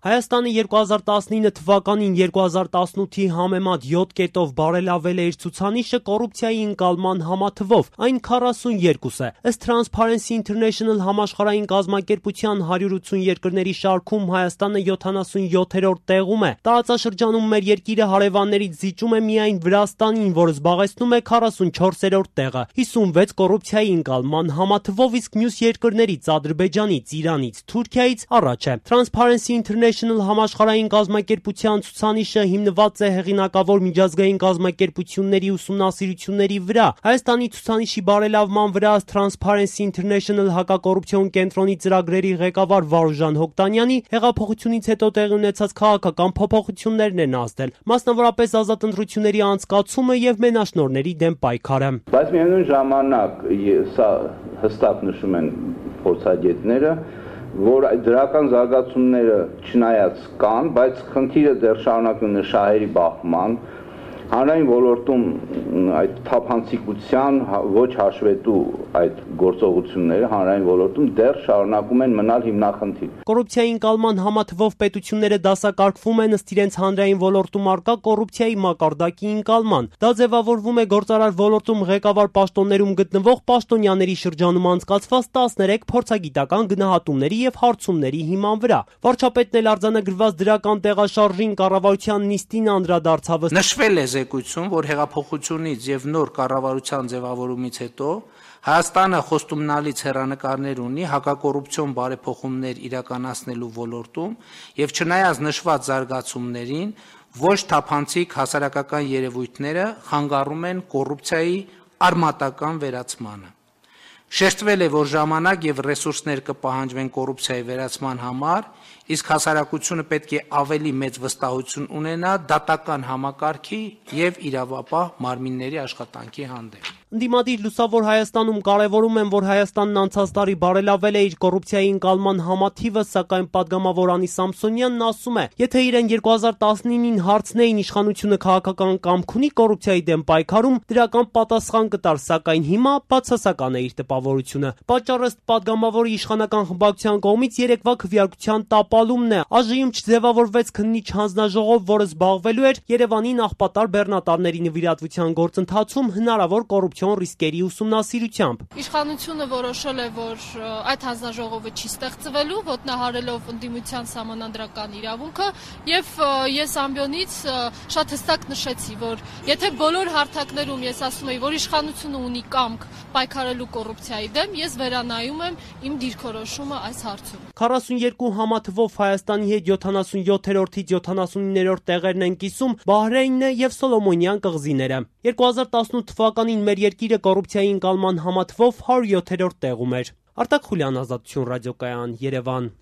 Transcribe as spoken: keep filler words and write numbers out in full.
Հայաստանը երկու հազար տասնինը թվականին երկու հազար տասնութի համեմատ յոթ կետով բարելավել է իր ցուցանիշը կոռուպցիայի ընկալման համաթվով, այն քառասուններկուս է։ Ըստ Transparency International համաշխարհային կազմակերպության հարյուր ութսուն երկրների շարքում Հայաստանը յոթանասունյոթերորդ տեղում է։ Տարածաշրջանում մեր երկիրը հարևաններից զիջում է միայն Վրաստանին, որը զբաղեցնում է քառասունչորսերորդ տեղը, հիսունվեց կոռուպցիայի ընկալման համաթվով, իսկ մյուս երկրներից Ադրբեջանից, Իրանից, Թուրքիայից առաջ է։ Transparency International համաշխարհային կազմակերպության ցուցանիշը հիմնված է հեղինակավոր միջազգային կազմակերպությունների ուսումնասիրությունների վրա։ Հայաստանի ցուցանիշի բարելավման վրա Transparency International հակակոռուպցիոն կենտրոնի ծրագրերի ղեկավար Վարուժան Հոկտանյանի հեղափոխությունից հետո տեղի ունեցած քաղաքական փոփոխություններն են ազդել, մասնավորապես ազատ ընտրությունների անցկացումը եւ մենաշնորհների դեմ պայքարը։ Բայց միևնույն ժամանակ սա հստակ նշում են փորձագետները, որ դրական զարգացումները չնայած կան, բայց խնդիրը դեռ շարունակվում է շահերի բախման, հանրային ոլորտում այդ թափանցիկության ոչ հաշվետու այդ գործողությունները հանրային ոլորտում դեռ շարունակում են մնալ հիմնախնդիր։ Կոռուպցիայի ընկալման համաթվով պետությունները դասակարգվում են ըստ իրենց հանրային ոլորտում առկա կոռուպցիայի մակարդակի ընկալման։ Դա ձևավորվում է գործարար ոլորտում ղեկավար պաշտոններում գտնվող պաշտոնյաների շրջանում անցկացված տասներեք փորձագիտական գնահատումների եւ հարցումների հիման վրա։ Վարչապետն էլ արձանագրված դրական տեղաշարժին կառավարության նիստին անդրադարձավ։ Նշվել է զեկույցում, որ հեղափոխությունից եւ նոր կառավարության ձևավորումից հետո Հայաստանը խոստումնալից հեռանկարներ ունի հակակոռուպցիոն բարեփոխումներ իրականացնելու ոլորտում եւ չնայած նշված զարգացումներին, ոչ թափանցիկ հասարակական երևույթները խանգարում են կոռուպցիայի արմատական վերացմանը։ Շեշտվել է, որ ժամանակ եւ ռեսուրսներ կպահանջվեն կոռուպցիայի վերացման համար, իսկ հասարակությունը պետք է ավելի մեծ վստահություն ունենա դատական համակարգի եւ իրավապահ մարմինների աշխատանքի հանդեպ։ Ընդդիմադիր Լուսավոր Հայաստանում կարևորում են, որ Հայաստանն անցած տարի բարելավել է իր կոռուպցիայի ընկալման համաթիվը, սակայն պատգամավոր Անի Սամսոնյանն ասում է, եթե իրեն երկու հազար տասնինին հարցնեին իշխանությունը քաղաքական կամք ունի կոռուպցիայի դեմ պայքարում, դրական պատասխան կտար, սակայն հիմա բացասական է իր տպավորությունը։ Պատճառը ըստ պատգամավորի իշխանական խմբակցության կողմից երեկվա քվեարկության տապալումն է։ ԱԺ-ում չձևավորվեց քննիչ հանձնաժողով, որը զբաղվելու էր Երևանի նախպատար բեռնատարների նվիրատվության գործընթացում հնարավոր կոռուպցիոն ռիսկերի ուսումնասիրությամբ։ Իշխանությունը որոշել է, որ այդ հանձնաժողովը չի ստեղծվելու, ոտնահարելով ընդդիմության սահմանադրական իրավունքը, եւ ես ամբիոնից շատ հստակ նշեցի, որ եթե բոլոր հարթակներում ես ասում եի, որ իշխանությունը ունի կամք պայքարելու կոռուպցիայի դեմ, ես վերանայում եմ իմ դիրքորոշումը այս հարցում։ քառասուններկու համաթվով Հայաստանի հետ յոթանասունյոթերորդից յոթանասուններորդ տեղերն են կիսում Բահրեյնը եւ Սոլոմոնյան կղզիները։ երկու հազար տասնութ թվականին մեր երկիրը կոռուպցիայի ընկալման համաթվով հարյուրյոթերորդ տեղում էր։ Արտակ Խուլյան, Ազատություն ռադիոկայան, Երևան։